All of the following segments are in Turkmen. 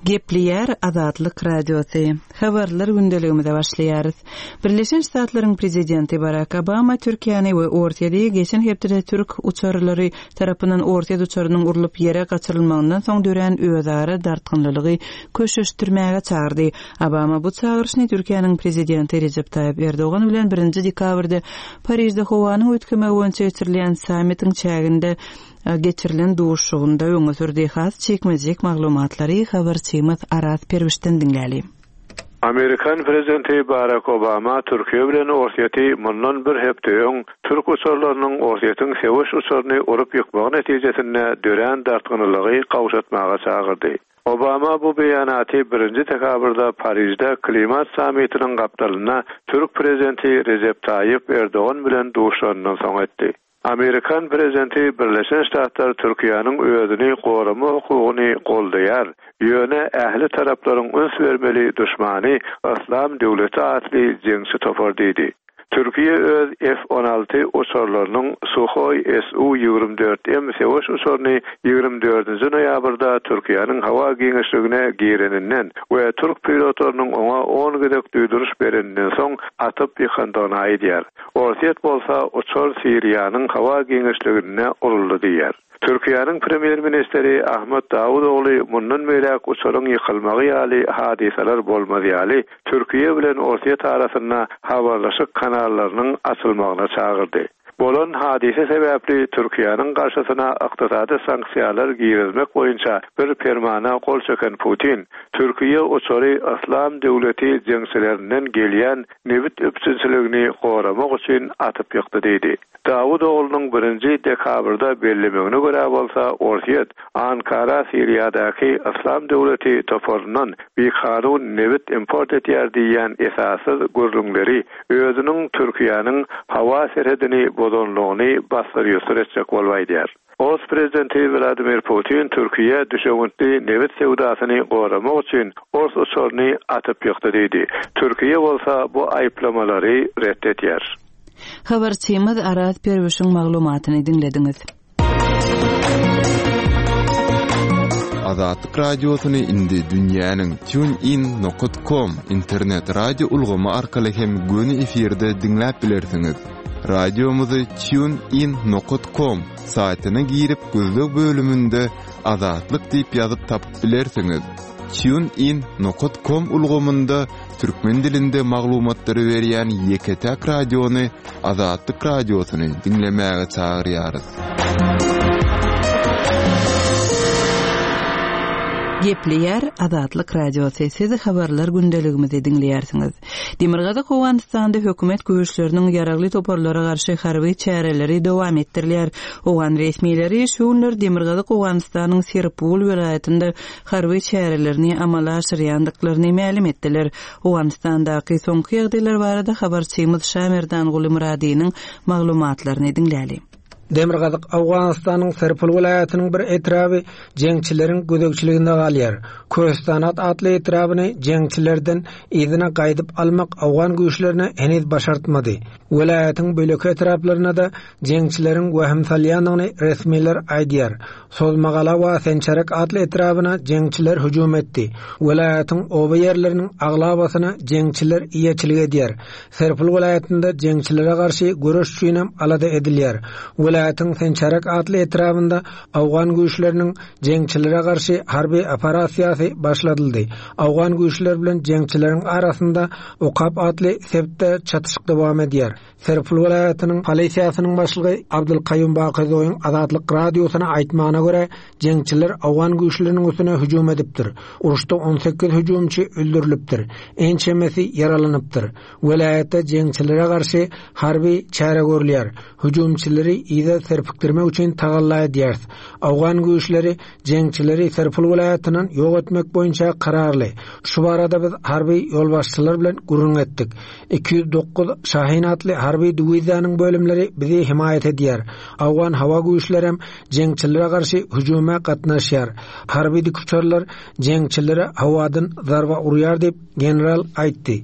Gepleýär Azatlyk Radiosy. Habarlar gündeligimize başlaýarys. Birleşen Ştatlaryň prezidenti Barak Obama Türkiýäni we Orsýeti geçen hepdede türk uçarlary tarapyndan orsýet uçarynyň urlup ýere gaçyrylmagyndan soň dörän özara dartgynlylygy köşeşdirmäge çagyrdy. Obama bu çagyryşyny Türkiýäniň prezidenti Rejep Taýyp Erdogan bilen birinji dekabrda Parižde howanyň üýtgemegi boýunça geçirilýän sammitiň çäginde geçirilen duşuşygynda öňe sürdi. Has jikme-jik maglumatlary habarçymyz Araz Perwişden diňläli. Amerikan prezidenti Barak Obama Türkiýe bilen Orsýeti mundan bir hepde öň türk uçarlarynyň Orsýetiň söweş uçaryny urup ýykmagy netijesinde dörän dartgynlylygy gowşatmaga çagyrdy. Obama bu beýanaty birinji dekabrda Parižde klimat sammitiniň gapdalynda türk prezidenti Rejep Taýyp Erdogan bilen duşanyndan soň etdi. Amerikan prezidenti Birleşen Ştatlar Türkiýäniň özüni gorama hukugyny goldaýar, ýöne ähli taraplaryň üns bermeli duşmany Yslam döwleti atly jeňçi topar diýdi. Türkiýe öz F-on alty uçarlarynyň Suhoi SU 24 M söweş uçaryny ýigrimi dördünji noýabrda Türkiýäniň howa giňişligine gireninden we türk pilotlarynyň oňa on gezek duýduryş bereninden soň atyp ýykandygyny aýdýar. Orsýet bolsa uçar Siriýanyň howa giňişliginde uruldy diýýär. Türkiýäniň premýer-ministri Ahmet Dawutogly mundan beýläk uçaryň ýykylmagy ýaly hadysalar bolmaz ýaly Türkiýe bilen Orsýet arasynda habarlaşyk kanallarynyň açylmagyna çagyrdy. Bolan hadysa sebäpli Türkiýäniň garşysyna ykdysady sanksiýalar girizmek boýunça bir permana gol çeken Putin, Türkiýe uçary Yslam döwleti jeňçilerinden gelýän nebit üpjünçiligini goramak üçin atyp ýykdy diýdi. Dawutoglunyň birinji dekabrda bellemegine görä bolsa, Orsýet Ankara Siriýadaky Yslam döwleti toparyndan bikanun nebit import edýär diýýän esassyz gürrüňleri özüniň Türkiýäniň howa serhedini bozanlygyny bassyr-ýussur etjek bolup aýdýar. Ors prezidenti Wladimir Putin Türkiýä düşewüntli nebit söwdasyny goramak üçin ors uçaryny atyp ýykdy diýdi. Türkiýe bolsa bu aýyplamalary ret edýär. Habarçymyz Araz Perwişiň maglumatyny diňlediňiz. Azatlyk Radiosyny indi dünýäniň TuneIn nokat com internet radio ulgamy arkaly hem göni efirde diňläp bilersiňiz. Radiomyzy TuneIn nokat com saýtyna girip gözleg bölüminde Azatlyk diýip ýazyp tapyp bilersiňiz. TuneIn nokat com ulgamynda türkmen dilinde maglumatlary berýän ýeke-täk radiony Azatlyk Radiosyny diňlemäge çagyrýarys. Gepleýär Azatlyk Radiosy, siz habarlar gündeligimizi diňleýärsiňiz. Demirgazyk Owganystanda hökümet güýçleriniň ýaragly toparlara garşy harby çäreleri dowam etdirilýär. Owgan resmileri şu günler Demirgazyk Owganystanyň Serpul welaýatynda harby çärelerini amala aşyrýandyklaryny mälim etdiler. Owganystandaky soňky ýagdaýlar barada habarçymyz Şamerdanguly Myradynyň maglumatlaryny diňläli. Demirgazyk Owganystanyň Serpul welaýatynyň bir etraby jeňçileriň gözegçiliginde galýar. Köhüstanat atly etrabyny jeňçilerden yzyna gaýdyp almak owgan güýçlerine heniz başartmady. Welaýatyň beýleki etraplarynda-da jeňçileriň wehim salýandygyny resmiler aýdýar. Sozmagala we Sençerek atly etrabyna jeňçiler hüjüm etdi. Welaýatyň oba ýerleriniň aglabasyna jeňçiler eýeçilik edýär. Serpil welaýatynda jeňçilere garşy göreş üçinem alada edilýär. Welaýatyň Sençerek atly etrabynda owgan güýçleriniň jeňçilere garşy harby operasiýasy başladyldy. Owgan güýçleri bilen jeňçileriň arasynda Okap atly sebitde çatyşyk dowam edýär. Serpil welaýatynyň polisiýasynyň başlygy Abdulkaýum Bakyzoýyň Azatlyk Radiosyna aýtmagyna görä, jeňçiler owgan güýçleriniň üstüne hüjüm edipdir. Uruşda 18 hüjümçi öldürilipdir, ençemesi ýaralanypdyr. Welaýatda jeňçilere garşy harby çäre görülýär. Hüjümçileri yza serpikdirmek üçin tagalla edýäris. Owgan güýçleri jeňçileri Serpil welaýatyndan ýok etmek boýunça kararly. Şu barada biz harby ýolbaşçylar bilen gürrüň etdik. 209 Şahin atly harby diwiziýanyň bölümleri bizi hemaýat edýär. Owgan howa güýçlerem jeňçilere garşy hüjüme gatnaşýar. Harby dikuçarlar jeňçilere howadan zarba urýar diýip, general aýtdy.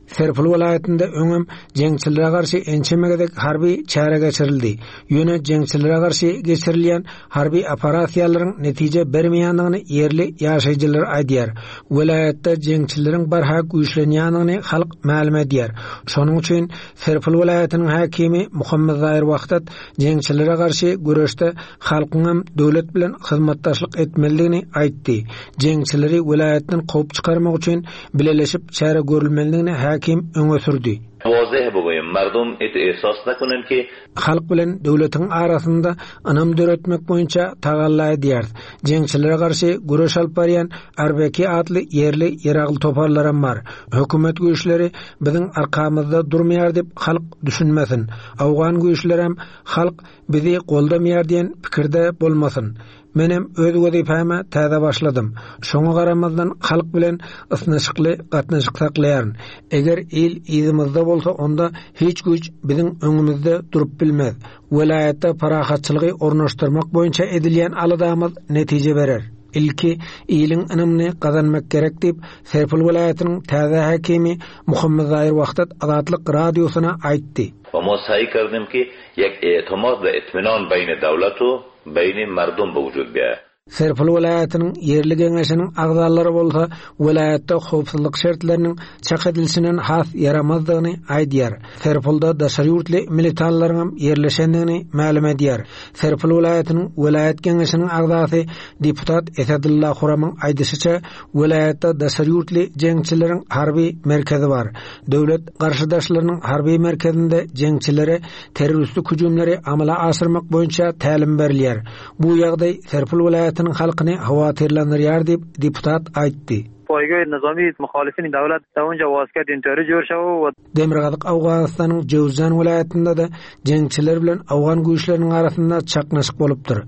Serpil welaýatynda öňem jeňçilere garşy ençeme gezek harby çäre geçirildi. Ýöne jeňçilere garşy geçirilýän harby operasiýalaryň netije bermeýändigini ýerli ýaşaýjylar aýdýar. Welaýatda jeňçileriň barha güýçlenýändigini halk mälim edýär. Şonuň üçin Serpil welaýatynyň häkimi Muhammetzaýyr Wahdat jeňçilere garşy göreşde halkyňam döwlet bilen hyzmatdaşlyk etmelidigini aýtdy. Jeňçileri welaýatdan kowup çykarmak üçin bileleşip çäre görülmelidigini häkim öňe sürdi. Wazeh buguyim, mardum it ehsas nakunen ki. Halk bilen döwletiň arasynda ynam döretmek boýunça tagalla edýäris. Jeňçilere garşy göreş alyp barýan Arbeki atly ýerli ýaragly toparlaram bar. Hökümet güýçleri biziň arkamyzda durmaýar diýip halk düşünmesin. Owgan güýçlerem halk bizi goldamaýar diýen pikirde bolmasyn. Menem öz wezipäme täze başladym. Şoňa garamazdan halk bilen ysnyşykly gatnaşyk saklaýaryn. Eger il yzymyzda bolsa onda hiç güýç biziň öňümizde durup bilmez. Welaýatda parahatçylygy ornaşdyrmak boýunça edilýän aladamyz netije berer. Ilki iliň ynamyny gazanmak gerek diýip, Serpil welaýatynyň täze häkimi Muhammetzaýyr Wahdat Azatlyk Radiosyna aýtdy. We ma saý kardym ki ýek e'timad we itminan beýni dawlat u beýni mardum be wujud biýaýa. Serpil welaýatynyň ýerli geňeşiniň agzalary bolsa welaýatda howpsuzlyk şertleriniň çak edilişinden has ýaramazdygyny aýdýar. Serpilde daşary ýurtly militanlaryňam ýerleşendigini mälim edýär. Serpil welaýatynyň welaýat geňeşiniň agzasy deputat Esedulla Huramyň aýdyşyça, welaýatda daşary ýurtly jeňçileriň harby merkezi bar. Döwlet garşydaşlarynyň harby merkezinde jeňçilere terroristik hüjümleri amala aşyrmak boýunça tälim berilýär. Bu ýagdaý Serpil welaýatynyň halkyny howatyrlandyrýar diýip, deputat aýtdy. Poýgähi nizami muhalifini dawlat da unja wasket intori jor şaw we. Demirgazyk Owganystanyň Jöwzjan welaýatynda-da jeňçiler bilen owgan güýçleriniň arasynda çaknyşyk bolupdyr.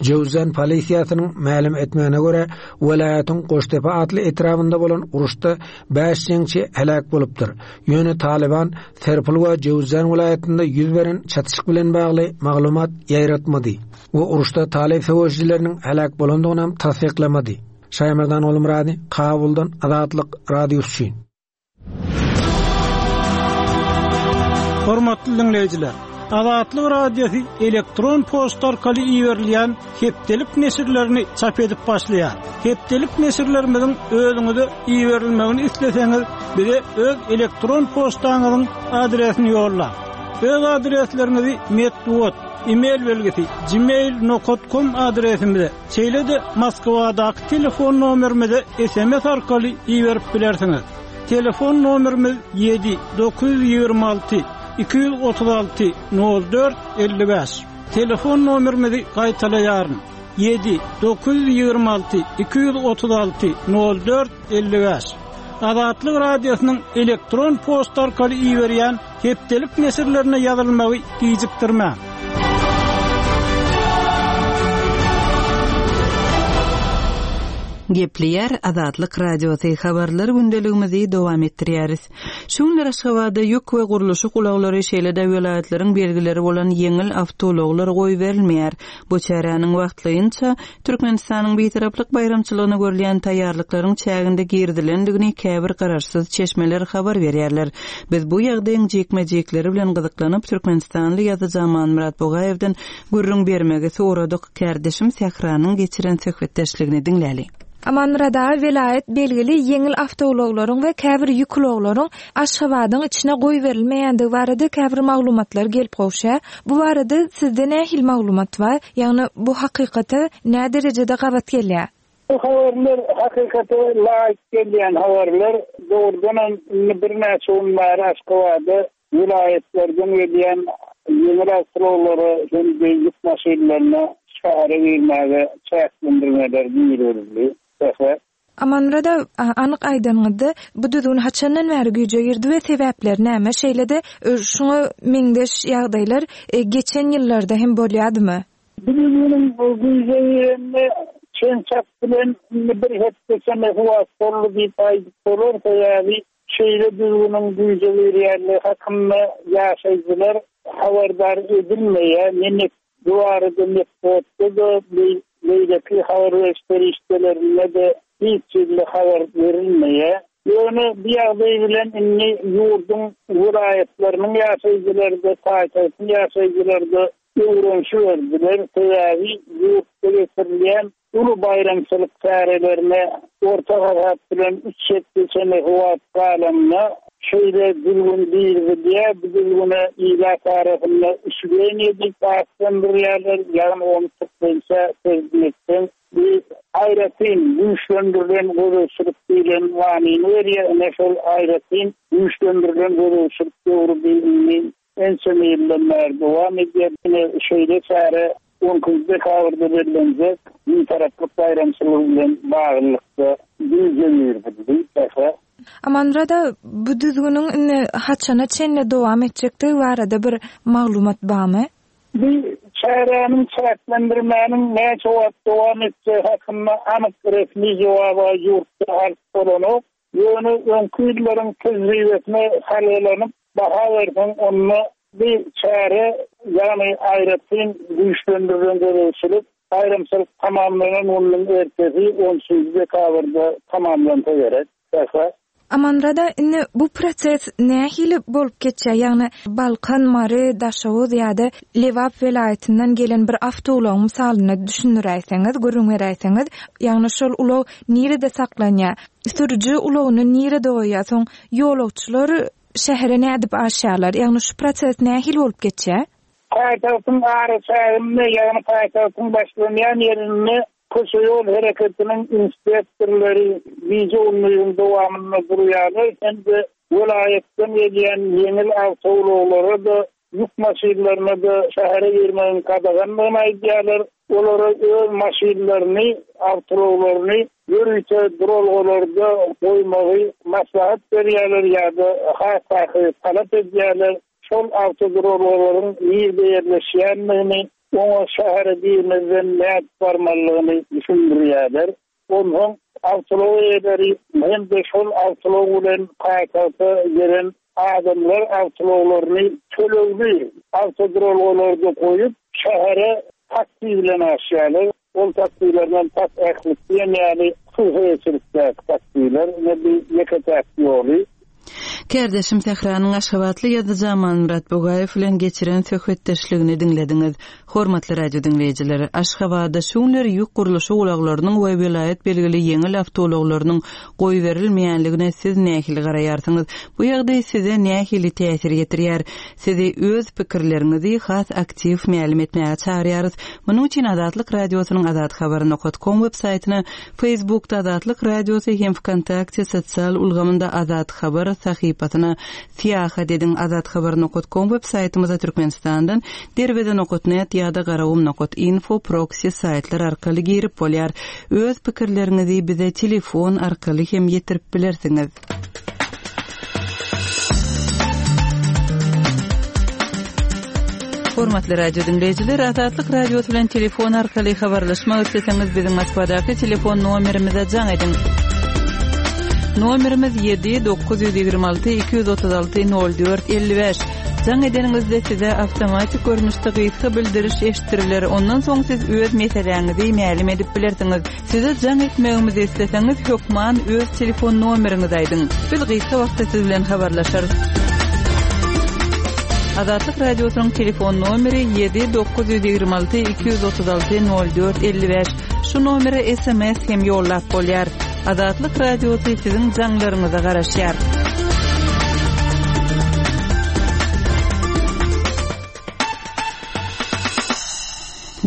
Jöwzjan polisiýasynyň mälim etmegine görä, welaýatyň Goştepe atly etrabynda bolan uruşda Bäş jeňçi heläk bolupdyr. Ýöne Talyban Serpil we Jöwzjan welaýatynda ýüz beren çatyşyk bilen bagly maglumat ýaýratmady we uruşda talyp söweşijileriniň heläk bolandygynam tassyklamady. Şaýmerdan Gulmyrady, Kabuldan Azatlyk Radiosy üçin. Hormatly diňleýjiler! Azatlyk Radiosy elektron poçta arkaly iberilýän hepdelik neşirlerini çap edip başlaýar. Hepdelik neşirlerimiziň özüňize iberilmegini isleseňiz, bize öz elektron poçtaňyzyň adresini ýollaň. Öz adresleriňizi metbugat, e-mail belgisi, gmail nokat kom adresimize, şeýle-de Moskwadaky telefon nomerimize sms arkaly iberip bilersiňiz. Telefon nomerimiz ýedi, 926 236 04 55. Telefon nomerimizi gaýtalaýaryn, ýedi, 926 236 04 55. Azatlyk Radiosynyň elektron poçta arkaly iberýän hepdelik neşirlerine ýazylmagy gijikdirmäň. Gepleýär Azatlyk Radiosy, Habarlar gündeligimizi dowam etdirýäris. Şu günler Aşgabatda ýük we gurluşyk ulaglary, şeýle-de welaýatlaryň belgileri bolan ýeňil awtoulaglar goýberilmeýär. Bu çäräniň wagtlaýynça Türkmenistanyň Bitaraplyk baýramçylygyna görülýän taýýarlyklaryň çäginde girizilendigini käbir garaşsyz çeşmeler habar berýärler. Biz bu ýagdaýyň jikme-jikleri bilen gyzyklanyp, türkmenistanly ýazyjy Amanmyrat Bugaýewden gürrüň bermegi soradyk. Kärdeşim Sähranyň geçiren söhbetdeşligini diňläli. Amanmyrat aga welaýat belgili ýeňil awtoulaglaryň we käbir ýük ulaglaryň Aşgabadyň içine goýberilmeýändigi barada käbir maglumatlar gelip gowşýar. Bu barada sizde nähili maglumat bar? Ýagny bu hakykata näderejede gabat gelýär? Bu habarlar hakykata laýyk gelýän habarlar. Dogrudanam indi birnäçe gün bäri Aşgabada welaýatlardan gelýän ýeňil awtoulaglara hem-de ýük maşynlaryna şähere girmäge çäklendirmeler girizildi. Säher. Amanmyrat aga, anyk aýdanyňyzda, bu düzgün haçandan bäri güýje girdi we sebäpleri näme? Şeýle-de, şuňa meňzeş ýagdaýlar geçen ýyllarda hem bolýadymy? Bu düzgüniň güýje girenine çen-çak bilen indi bir hepde çemesi wagt boldy diýip aýdyp bolar, sebäbi şeýle düzgüniň güýje girýänligi hakynda ýaşaýjylar habardar edilmeýär, ne Bu barada metbugatda-da, beýleki habar beriş serişdelerinde-de hiç hili habar berilmeýär. Ýöne bu ýagdaý bilen indi ýurduň welaýatlarynyň ýaşaýjylary-da, paýtagtyň ýaşaýjylary-da öwrenişiberdiler. Sebäbi ýurtda geçirilýän uly baýramçylyk çärelerine orta hasap bilen üç hepde çemesi wagt galanda şeýle düzgün girizilýär. Bu düzgüne ilat arasynda üçgeniýe diýip atlandyrýarlar, ýagny ony türkmençe terjime etseň Bu aýratyn güýçlendirilen gözegçilik diýlen manyny berýär. Ine, şol aýratyn güýçlendirilen gözegçilik döwri bi indi ençeme ýyldan bäri dowam edýär. Ine, şeýle çäre on ikinji dekabrda bellenjek Bitaraplyk baýramçylygy bilen baglylykda güýje girizildi. Sähra. Amanmyrada, bu düzgüniň indi haçana çenli dowam etjekdigi barada bir maglumat barmy? Bu çäräniň çäklendirmäniň näçe wagt dowam etjegi hakynda anyk resmi jogaby ýurtda alyp bolanok. Ýöne öňki ýyllaryň tejribesine salgylanyp baha berseň, onda bu çäre, ýagny aýratyn güýçlendirilen gözegçilik baýramçylyk tamamlanan gününiň ertesi, on üçünji dekabrda tamamlansa gerek. Sähra. Amanmyrada, indi bu proses nähili bolup geçýär? Ýagny Balkan, Mary, Daşoguz ýa-da Lebap welaýatyndan gelen bir awtoulagyň mysalynda düşündiräýseňiz, gürrüň beräýseňiz. Ýagny şol ulag nirede saklanýar? Sürüji ulagyny nirede goýýar? Soň ýolagçylar şähere nädip aşýarlar? Ýagny şu proses nähili bolup geçýär? Paýtagtyň araçäginde, ýagny paýtagtyň başlanýan ýerinde Köçe-ýol hereketiniň inspektorlary gije-gündiziň dowamynda durýarlar hem-de welaýatdan gelýän ýeňil awtoulaglara-da, ýük maşynlaryna-da şähere girmegiň gadagandygyny aýdýarlar. Olara öz maşynlaryny, awtoulaglaryny ýörite duralgalarda goýmagy maslahat berýärler ýa-da has takygy talap edýärler. Şol awtoduralgalaryň nirde ýerleşýändigini Oňa şähere girmezden nädip barmalydygyny düşündirýärler. Onsoň awtoulag eýeleri hem-de şol awtoulag bilen paýtagta gelen adamlar awtoulaglaryny tölegli awtoduralgalarda goýup, şähere taksi bilen aşýarlar. Ol taksilerden tas ählisi diýen ýaly hususy eýeçilikdäki taksiler. Ine bu ýeke-täk ýoly. Kärdeşim Sähranyň aşgabatly ýazyjy Amanmyrat Bugaýew bilen geçiren söhbetdeşligini diňlediňiz. Hormatly radio diňleýjiler, Aşgabatda şu günler ýük gurluşyk ulaglarynyň we welaýat belgili ýeňil awtoulaglarynyň goýberilmeýänligine siz nähili garaýarsyňyz? Bu ýagdaý size nähili täsir ýetirýär? Sizi öz pikirleriňizi has aktiw mälim etmäge çagyrýarys. Munuň üçin Azatlyk Radiosynyň azathabar nokat kom web saýtyna, Facebookda Azatlyk Radiosy hem Wkontakte sosial ulgamynda Azat Habar sahypasyna syýahat ediň Azathabar nokat kom web saýtymyza Türkmenistandan Derweze nokat net ýa-da Garagum nokat info proksi saýtlar arkaly girip bolýar. Öz pikirleriňizi bize telefon arkaly hem ýetirip bilersiňiz. Hormatly radio diňleýjiler, Azatlyk Radiosy bilen telefon arkaly habarlaşmak isleseňiz, biziň Moskwadaky telefon nomerimize jaň ediň. Nomerimiz 7 926 236 04 55. Jaň edeniňizde size awtomatik görnüşde gysga bildiriş eşitdiriler. Ondan soň siz öz meseläňizi mälim edip bilersiňiz. Size jaň etmegimizi isleseňiz, hökman öz telefon nomeriňizi aýdyň. Biz gysga wagtda siz bilen habarlaşarys. Azatlyk Radiosynyň telefon nomeri 7 926 236 04 55. Şu nomere sms hem ýollap bolýar. Azatlyk Radiosy siziň jaňlaryňyza garaşýar.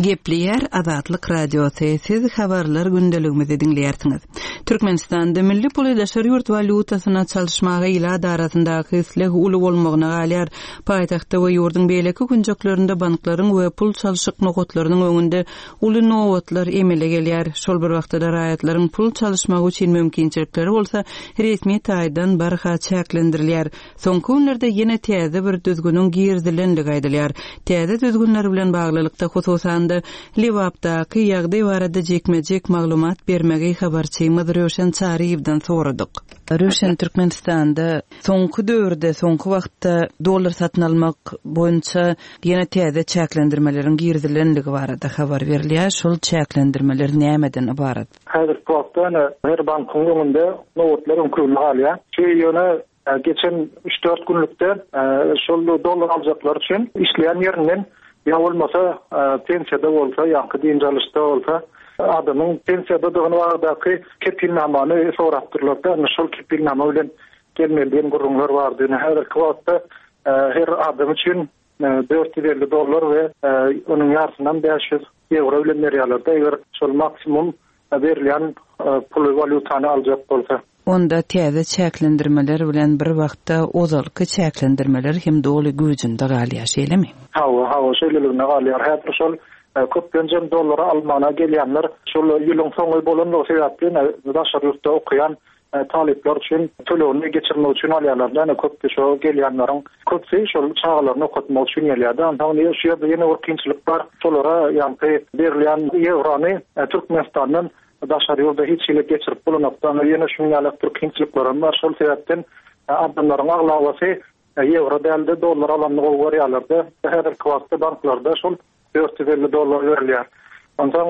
Gepleýär Azatlyk Radiosy, siz habarlar gündeligimizi diňleýärsiňiz. Türkmenistanda milli puly daşary ýurt walýutasyna çalyşmaga ilat arasyndaky isleg uly bolmagyna galýar. Paýtagtda we ýurduň beýleki künjeklerinde banklaryň we pul çalşyk nokatlarynyň öňünde uly nobatlar emele gelýär. Şol bir wagtda-da raýatlaryň pul çalyşmagy üçin mümkinçilikleri bolsa resmi taýdan barha çäklendirilýär. Soňky günlerde ýene täze bir düzgüniň girizilendigi aýdylýar. Täze düzgünler bilen baglylykda, hususan-da, Lebapdaky ýagdaý barada jikme-jik maglumat bermegi habarçymyz. Röwşen Çaryýewden soradyk. Röwşen, Türkmenistanda soňky döwürde, soňky wagtda dollar satyn almak boýunça ýene täze çäklendirmeleriň girizilenligi barada habar berilýär. Şol çäklendirmeler nämeden ybarat? Häzirki wagtda ýöne her bankyň öňünde nobatlar öňküligine galýar. Şu ýöne geçen üç-dört günlükde şol dollar aljaklar üçin işleýän ýerinden ýa bolmasa pensiýada bolsa, ýaňky dynç alyşda bolsa adamyň pensiýadadygyny baradaky kepilnamany sorapdyrlar-da, indi şol kepilnama bilen gelmeli diýen gürrüňler bardy. Ýöne häzirki wagtda her adam üçin 450 dollar we onuň ýarysyndan 500 ýewro bilen berýärler-de, eger şol maksimum berilýän puly, walýutany aljak bolsa. Onda täze çäklendirmeler bilen bir wagtda ozalky çäklendirmeler hem doly güýjünde galýar, şeýlemi? Hawa, hawa, şeýleligine galýar. Häzir şol köplenjem dollary almana gelýänler şol ýylyň soňy bolanlygy sebäpli daşary ýurtda okaýan talyplar üçin tölegini geçirmek üçin alýarlar da, ýöne köpüsi şo gelýänleriň köpüsi şol çagalaryny okatmak üçin gelýär-de. Onsoň indi şu ýerde ýene bir kynçylyk bar. Şolara ýaňky berilýän ýewrony Türkmenistandan daşary ýurda hiç hili geçirip bolanokda. Ýene şunuň ýaly bir kynçylyklaram bar. Şol sebäpden adamlaryň aglabasy ýewro däl-de, dollar alanyny gowy görýärler-de. Häzirki wagtda banklarda şol 450 dollar berilýär. Onsoň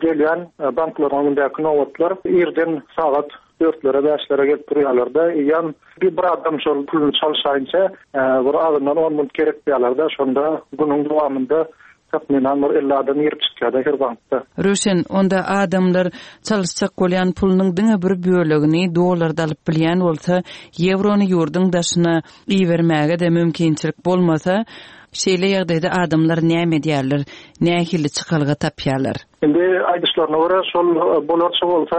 gelýän banklaryň öňündäki nobatlar irden sagat dörtlere, bäşlere gelip durýarlar-da, eýýäm bir adam şol puluny çalşaýynça bir azyndan on minut gerek diýýärler-de, şonda günüň dowamynda takmynan bir 50 adam girip çykýar-da her bankda. Röwşen, onda adamlar çalyşjak bolýan pulunyň diňe bir bölegini dollarda alyp bilýän bolsa, ýewrony ýurduň daşyna ibermäge-de mümkinçilik bolmasa, Şeýle ýagdaýda adamlar näme edýärler, nähili çykalga tapýarlar? Indi aýdyşlaryna görä, şol bolarça bolsa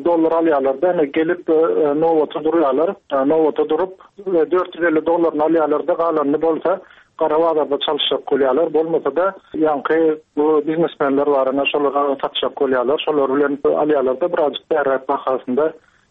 dollar alýarlar-da, indi gelip nobata durýarlar. Nobata durup, 450 dollaryny alýarlar-da, galanyny bolsa gara bazarda çalyşjak bolýarlar. Bolmasa-da, ýaňky bu biznesmenler bar, ine, şolara satjak bolýarlar. Şolar bilen alýarlar-da, birazjyk bärräk bahasynda.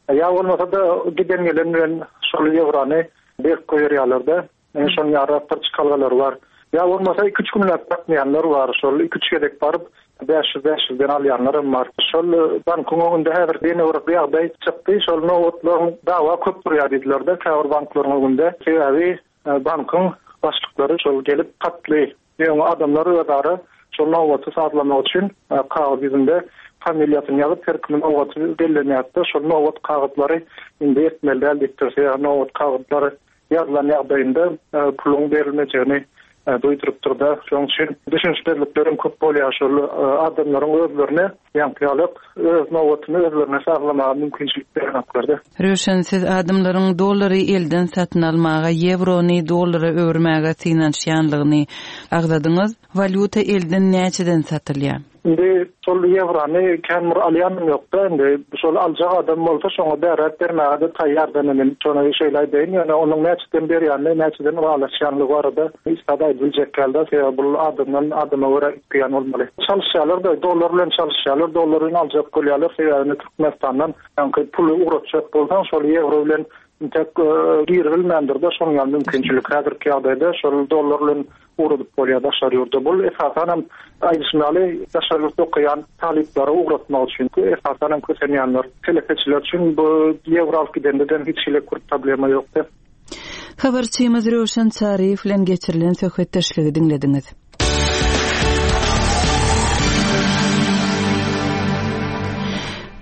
Ýa bolmasa-da, giden-gelen bilen şol ýewrony berip goýberýärler-de. Ine şonuň ýaly bir çykalgalary bar. Ýa bolmasa iki-üç günläp gatnaýanlar bar. Şol iki-üç gezek baryp, 500 500-den alýanlar hem bar. Şol bankyň öňünde häzir ýene bir ýagdaý çykdy. Şol nobatlaryň dawa köp durýar diýdiler-de käbir banklaryň öňünde. Sebäbi bankyň başlyklary şol gelip hatly Ýöne adamlar özara şol nobaty sazlamak üçin kagyz ýüzünde familiýasyny ýazyp, her kimiň nobaty bellenýärdi-de, şol nobat kagyzlary indi etmeli däl diýipdir. Sebäbi nobat kagyzlary ýazylan ýagdaýynda puluň berilmejegini duýdurypdyr-da. Şonuň üçin düşünişmezlikler hem köp bolýar. Şol adamlaryň özlerine ýaňky ýaly öz nobatyny özlerine sazlamaga mümkinçilik berenoklar-da. Röwşen, siz adamlaryň dollary elden satyn almaga, ýewrony dollara öwürmäge synanyşýanlygyny agzadyňyz. Walýuta elden näçeden satylýar? Indi şol ýewrony kän bir alýanym ýok-da, indi şol aljak adam bolsa şoňa bäräk bermäge-de taýýar-da men şony şeýle aýdaýyn, ýöne onuň näçeden berýänini, näçeden ylalaşýanlygy barada hiç zat aýdyp biljek däl-de, sebäbi bul adamdan adama görä üýtgeýän bolmaly. Çalyşýarlar-da, dollar bilen çalyşýarlar, dollar bilen aljak bolýarlar, sebäbi indi Türkmenistandan Ýaňky puly ugratjak bolsaň, şol ýewro bilen intek giribilmändir-de, şonuň ýaly mümkinçilik. Häzirki ýagdaýda şol dollar bilen ugradyp bolýar daşary ýurda. Bul esasanam aýdyşym ýaly daşary ýurtda okaýan talyplary ugratmak üçin, esasanam kösenýänler, telekeçiler üçin bu ýewro alyp gidende-de hiç hili bir problema ýokdy. Habarçymyz Röwşen Çaryýew bilen geçirilen söhbetdeşligi diňlediňiz.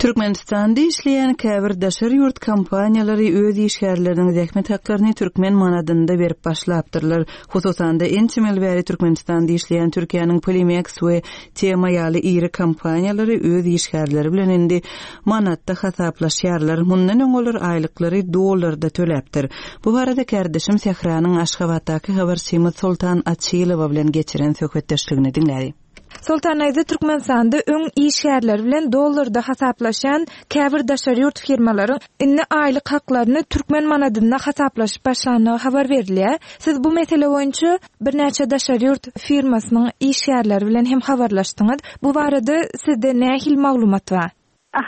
Türkmenistanda işleýän käbir daşary ýurt kompaniýalary öz işgärleriniň zähmet haklaryny türkmen manadynda berip başlapdyrlar. Hususan-da, ençeme ýyl bäri Türkmenistanda işleýän Türkiýäniň Polimex we Tema ýaly iri kompaniýalary öz işgärleri bilen indi manatda hasaplaşýarlar. Mundan öň olar aýlyklary dollarda töläpdir. Bu barada kärdeşim Sähranyň Aşgabatdaky habarçymyz Soltan Açylowa bilen geçiren söhbetdeşligini diňläli. Soltan daýza Türkmenistanda öň işgärleri bilen dollarda hasaplaşýan käbir daşary ýurt firmalaryň indi aýlyk haklaryny türkmen manadynda hasaplaşyp başlandygy habar berilýär. Siz bu mesele boýunça birnäçe daşary ýurt firmasynyň işgärleri bilen hem habarlaşdyňyz. Bu barada sizde nähili maglumat bar?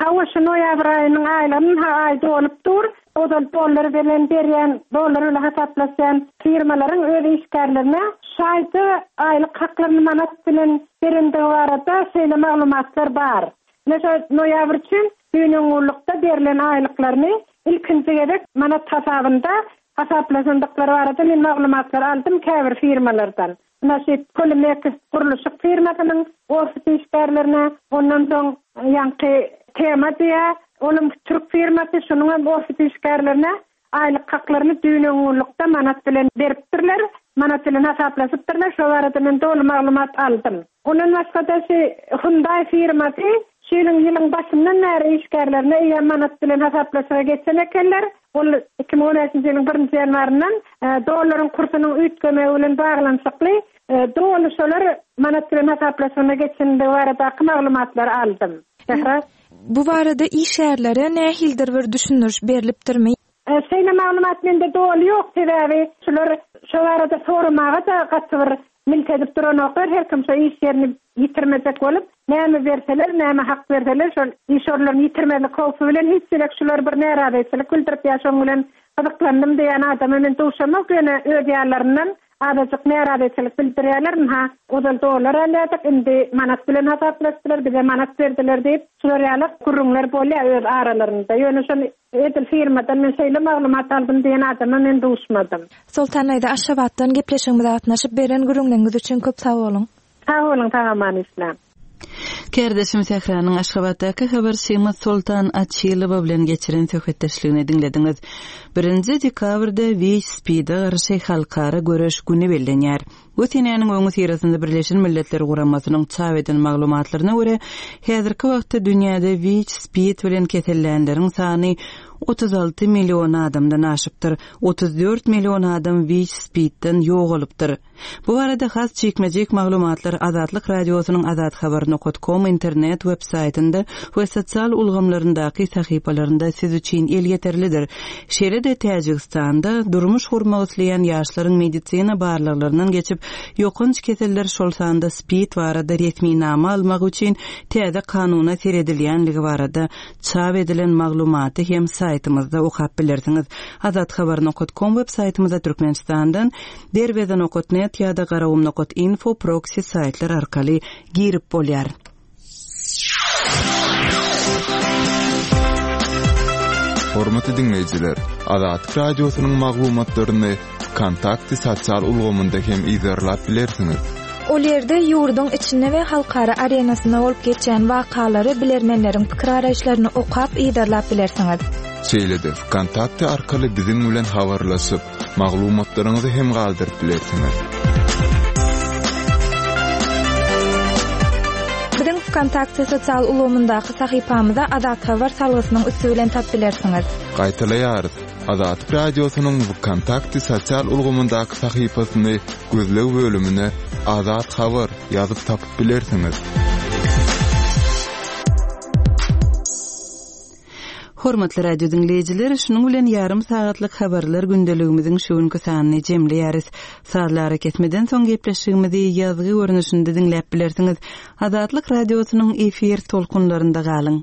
Hawa, şu noýabr aýynyň aýlygyny aý dolup dur. Ozal dollar bilen berýän, dollar bilen hasaplaşýan firmalaryň öz işgärlerine şu aýda aýlyk haklaryny manat bilen berendigi barada şeýle maglumatlar bar. Ine şo noýabr üçin. Düýn-öňňunlykda berlen aýlyklaryny ilkinji gezek manat hasabynda hasaplaşandyklary barada men maglumatlar aldym käbir firmalardan. Ynha şu Polimex gurluşyk firmasynyň ofis işgärlerine, ondan soň ýaňky Tema diýýär, olam türk firmasy, şonuňam ofis işgärlerine Aýlyk haklaryny düýn-öňňunlykda manat bilen beripdirler, manat bilen hasaplaşypdyrlar, şo barada men doly maglumat aldym. Ondan başga-da şu Hyundai firmasy şu ýylyň ýylyň başyndan bäri işgärlerine eýýäm manat bilen hasaplaşyga geçen ekenler. Ol 2015-nji ýylyň birinji ýanwaryndan dollaryň kursunyň üýtgemegi bilen baglanyşykly doly şolar manat bilen hasaplaşygyna geçendigi baradaky maglumatlary aldym. Sähra. Bu barada işgärlere nähilidir bir düşündiriş berlipdirmi? Şeýle maglumat mende doly ýok, sebäbi şular şo barada soramaga-da gaty bir milt edip duranoklar, her kim şo iş ýerini ýitirmejek bolup, näme berseler, näme hak berseler, şol iş orunlaryny ýitirmezlik howpy bilen hiç gezek şular bir närazyçylyk bildirip ýa şoň bilen gyzyklandym diýen adama men duşamok, ýöne öz ýanlaryndan Azajyk närazyçylyk bildirýärler, ynha, ozal dollar alýardyk, indi manat bilen hasaplaşdylar, bize manat berdiler diýip, şular ýaly gürrüňler bolýar öz aralarynda. Ýöne şony edil firmadan men şeýle maglumat aldym diýen adama men duşmadym. Soltan daýza Aşgabatdan gepleşigimize gatnaşyp beren gürrüňleriňiz üçin köp sag boluň. Sag boluň sag-aman işläň. Kärdeşim Sähranyň Aşgabatdaky habarçymyz Soltan Açylowa bilen geçiren söhbetdeşligini diňlediňiz. Birinji dekabrda WIÇ-SPID-e garşy halkara göreş güni bellenýär. Bu senäniň öňüsyrasynda Birleşen Milletler Guramasynyň çap eden maglumatlaryna görä, häzirki wagtda dünýäde WIÇ-SPID bilen kesellänleriň sany 36 million adamdan aşypdyr, 34 million adam WIÇ-SPID-den ýogalypdyr. Bu barada has jikme-jik maglumatlar Azatlyk Radiosynyň azathabar nokat kom internet web saýtynda we sosial ulgamlaryndaky sahypalarynda siz üçin elýeterlidir. Şeýle-de Täjigistanda durmuş gurmak isleýän ýaşlaryň medisina barlaglaryndan geçip, ýokanç keseller, şol sanda SPID barada resminama almagy üçin täze kanuna seredilýänligi barada çap edilen maglumaty hem saýtymyzda okap bilersiňiz. Azathabar nokat kom web saýtymyzda Türkmenistandan Derweze nokat net ýa-da Garagum nokat info proksi saýtlar arkaly girip bolýar. Hormatly diňleýjiler, Azatlyk Radiosynyň maglumatlaryny Wkontakte sosial ulgamynda hem yzarlap bilersiňiz. Ol ýerde ýurduň içinde we halkara arenasynda bolup geçýän wakalary, bilermenleriň pikir-garaýyşlaryny okap, yzarlap bilersiňiz. Şeýle-de Wkontakte arkaly biziň bilen habarlaşyp, Maglumatlaryňyzy hem galdyryp bilersiňiz. Biziň Wkontakte sosial ulgamyndaky sahypamyza Azat Habar salgysynyň üsti bilen tap bilersiňiz. Gaýtalaýarys, Azatlyk Radiosynyň Wkontakte sosial ulgamyndaky sahypasyny gözleg bölümine Azat Habar ýazyp tapyp bilersiňiz. Hormatly radio diňleýjiler, şunuň bilen ýarym sagatlyk habarlar gündeligimiziň şu günki sanyny jemleýäris. Sazly arakesmeden soň gepleşigimizi ýazgy görnüşinde diňläp bilersiňiz. Azatlyk Radiosynyň efir tolkunlarynda galyň.